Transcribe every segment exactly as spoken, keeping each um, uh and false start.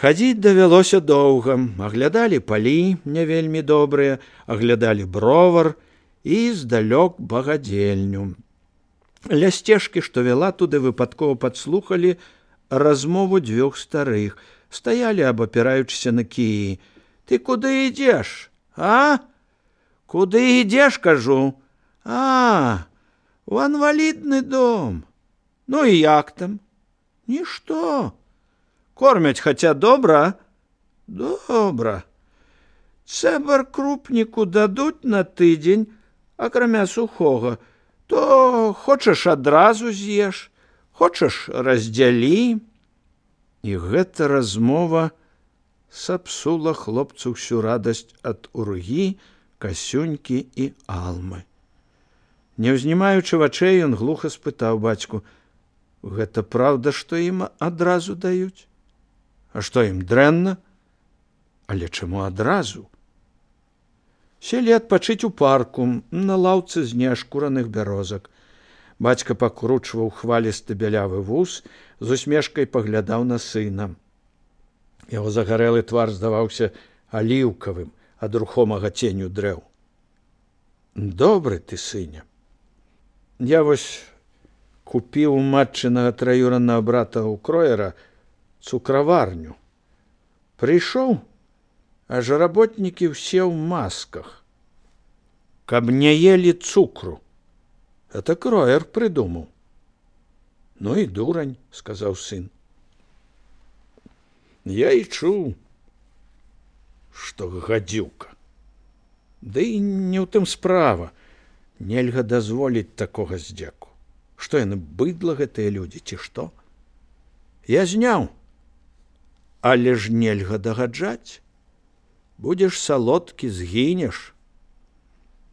Хадзіць давялося доўга, аглядалі палі не вельмі добрыя, аглядалі бровар і здалёк багадзельню. Ля сцежкі, што вяла туды, выпадкова падслухалі размову дзвюх старых, стаялі, абапіраючыся на кіі. Ты куды ідзеш, а? Куды ідзеш, кажу? А, у інвалідны дом. Ну і як там? Нішто. Кормяць хаця добра? Добра. Цэбар крупніку дадуць на тыдзень, акрамя сухога, то хочаш адразу з'еш, хочаш раздзялі. І гэта размова сапсула хлопцу ўсю радасць ад Ургі, Касюнькі і Алмы. Не ўзнімаючы вачэй, ён глуха спытаў бацьку: гэта праўда, што ім адразу даюць? А што ім дрэнна? Але чаму адразу? Селі адпачыць у парку, на лаўцы з неашкураных бярозак. Бацька пакручваў хвалісты бялявы вус, з усмешкай паглядаў на сына. Яго загарэлы твар здаваўся аліўкавым ад рухомага ценю дрэў. Добры ты, сыне. Я вось купіў у матчынага траюраннага брата ў кроера цукраварню. Прыйшоў, аж работнікі ўсе ў масках, каб не елі цукру. Это кроер прыдумаў. Ну і дурань, сказаў сын. Я і чуў, што гадзюка. Ды і не ў тым справа. Нельга дазволіць такога здзеку. Што яны, быдла гэтыя людзі, ці што? Я зняў. Але ж нельга дагаджаць. Будзеш салодкі, згінеш.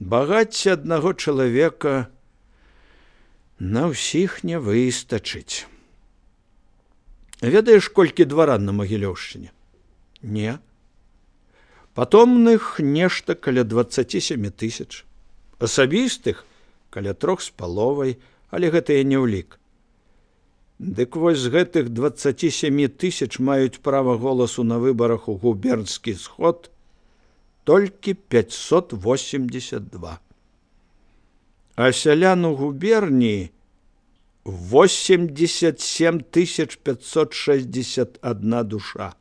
Багацця аднаго чалавека на ўсіх не выстачыць. Ведаеш, колькі дваран на Магілёўшчыне? Не. Патомных нешта каля дваццаці сямі тысяч. Асабістых каля трох з паловай, але гэта я не ўлік. Дык вось з гэтых дваццаці сямі тысяч маюць права голасу на выбарах у губернскі сход толькі пяцьсот восемьдесят два. А сялян у губернии восемьдесят семь тысяч пятьсот шестьдесят одна душа.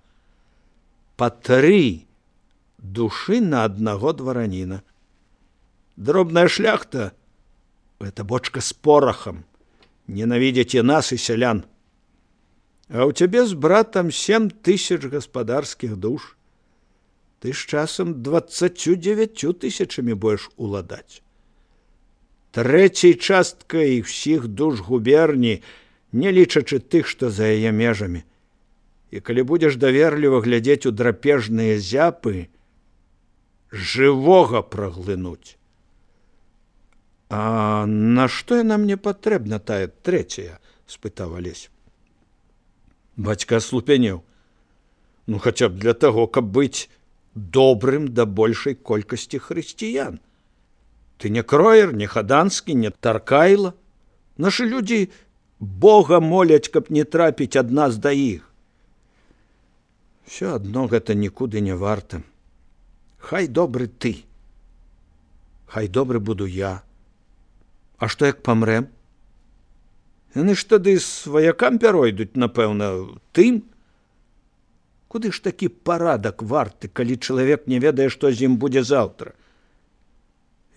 По три души на одного дворянина. Дробная шляхта — это бочка с порохом. Ненавидите нас и селян. А у тебя с братом семь тысяч господарских душ. Ты с часом двадцатью девятью тысячами будешь уладать. Трэцяй часткай всіх душ губерні, не лічачы тых, што за яе межамі. І калі будзеш даверліва глядзець у драпежныя зяпы, жывога праглынуць. А на што яна мне патрэбна, тая трэцяя? Спытаў Алесь. Бацька аслупянеў. Ну, хаця б для таго, каб быць добрым да большай колькасці хрысціян. Ты не кроер, не хаданскі, не таркайла. Нашы людзі Бога моляць, каб не трапіць ад нас да іх. Всё адно гэта нікуды не варта. Хай добры ты. Хай добры буду я. А што як памрэм? Яны ж тады сваякам пяройдуць, напэўна, тым. Куды ж такі парадак варты, калі чалавек не ведае, што з ім будзе заўтра?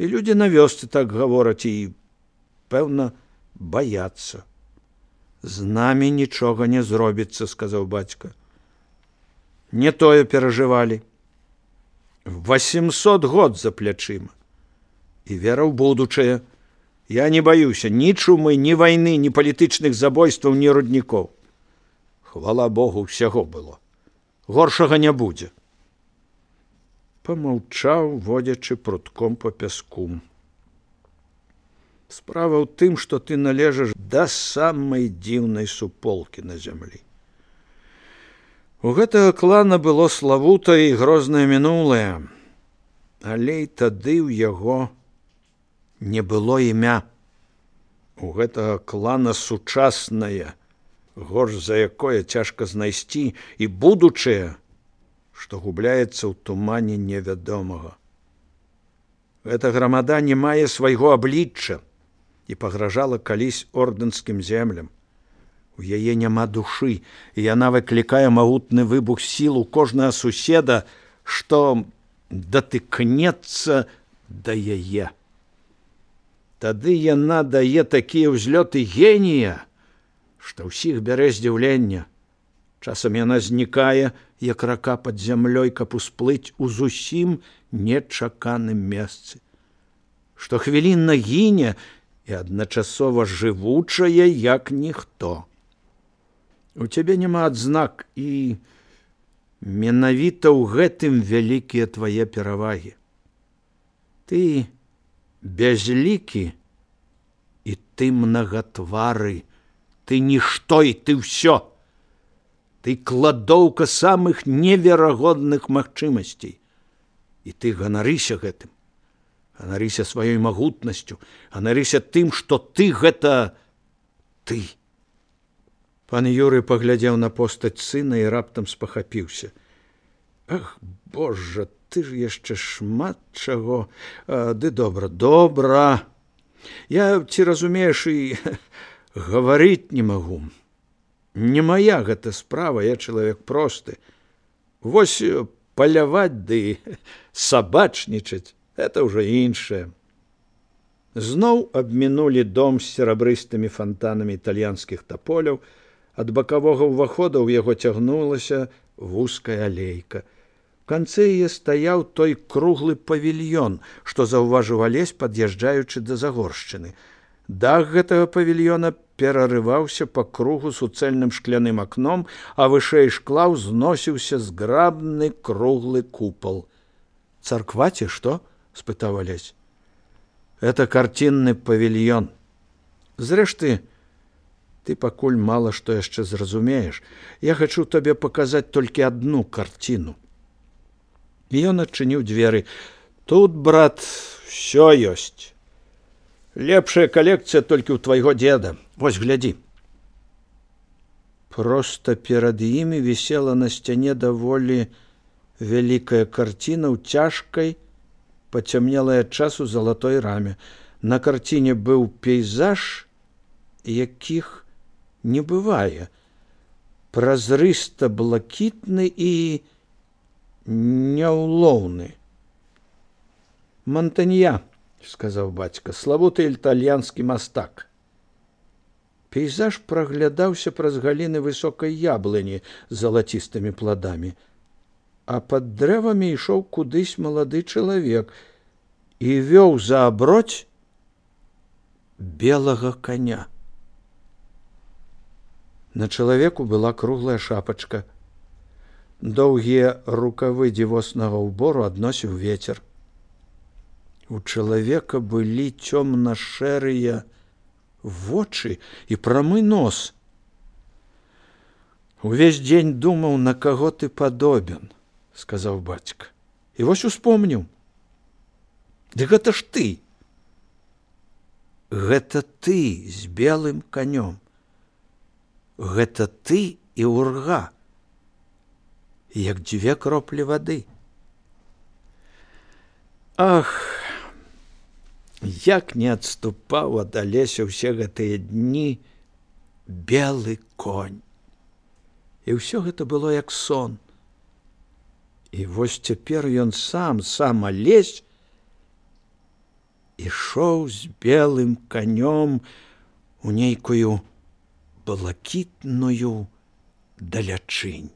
І людзі на вёсцы так гавораць і, пэўна, баяцца. З намі нічога не зробіцца, сказаў бацька. Не тое перажывалі. восемьсот год за плячыма. І вера ў будучае. Я не баюся ні чумы, ні вайны, ні палітычных забойстваў, ні руднікоў. Хвала Богу, ўсяго было. Горшага не будзе. Памаўчаў, водзячы прутком па пяску. Справа ў тым, што ты належаш да самай дзіўнай суполкі на зямлі. У гэтага клана было славутае і грознае мінулае, але і тады ў яго не было імя. У гэтага клана сучаснае, горш за якое цяжка знайсці, і будучае, што губляецца ў тумане невядомага. Гэта грамада не мае свайго аблічча і пагражала калісь ордэнскім землям. У яе няма душы, і яна выклікае магутны выбух сіл у кожнага суседа, што датыкнецца да яе. Тады яна дае такія ўзлёты генія, што ўсіх бярэ здзіўлення. Часам яна знікае, як рака пад зямлёй, каб усплыць у зусім нечаканым месцы. Штохвілінна гіне і адначасова жывучая, як ніхто. У цябе няма адзнак, і менавіта ў гэтым вялікія твае перавагі. Ты безлікі, і ты мнагатвары, ты нішто, і ты ўсё. Ты кладоўка самых неверагодных магчымасцей. І ты ганарыся гэтым. Ганарыся сваёй магутнасцю, ганарыся тым, што ты гэта ты. Пан Юрый паглядзеў на постаць сына і раптам спахапіўся. Ах, Божа, ты ж яшчэ шмат чаго. А, ды добра, добра. Я, ці разумееш, і гаварыць не магу. Не мая гэта справа, я чалавек просты. Вось паляваць ды сабачнічаць — гэта ўжо іншае. Зноў абмінулі дом з серабрыстымі фантанамі італьянскіх таполяў. Ад бакавога ўвахода ў яго цягнулася вузкая алейка. У канцы яе стаяў той круглы павільён, што заўважыў Алесь, пад'язджаючы да Загоршчыны. Дах гэтага павільёна перарываўся па кругу суцэльным шкляным акном, а вышэй шкла ўзносіўся зграбны круглы купал. «Царква ці што?» — спытаў Алесь. «Это картинный павільён. Зрэшты, ты пакуль мала што яшчэ зразумееш. Я хачу табе паказаць толькі адну карціну». Ён адчыніў дзверы. «Тут, брат, всё ёсць. Лепшая калекцыя толькі ў твайго дзеда. Вось, глядзі». Проста перад імі вісела на сцяне даволі вялікая карціна ў цяжкай, пацямнелай ад часу залатой раме. На карціне быў пейзаж, якіх не бывае. Празрыста-блакітны і няўлоўны. «Монтанья», — сказаў бацька, — «славуты італьянскі мастак». Пейзаж праглядаўся праз галіны высокай яблыні з залацістымі пладамі, а пад дрэвамі ішоў кудысь малады чалавек і вёў за аброць белага коня. На чалавеку была круглая шапачка. Доўгія рукавы дзівоснага ўбору адносіў вецер. У чалавека былі цёмна-шэрыя вочы і прамы нос. «Увесь дзень думаў, на каго ты падобен», — сказаў бацька. «І вось успомніў. Ды гэта ж ты. Гэта ты з белым канём. Гэта ты і Урга, як дзве кроплі вады». Ах, як не адступаў ад Алеся ўсе гэтыя дні белы конь. І ўсё гэта было як сон. І вось цяпер ён сам, сам Алесь, ішоў з белым канём у нейкую блакітную далячынь.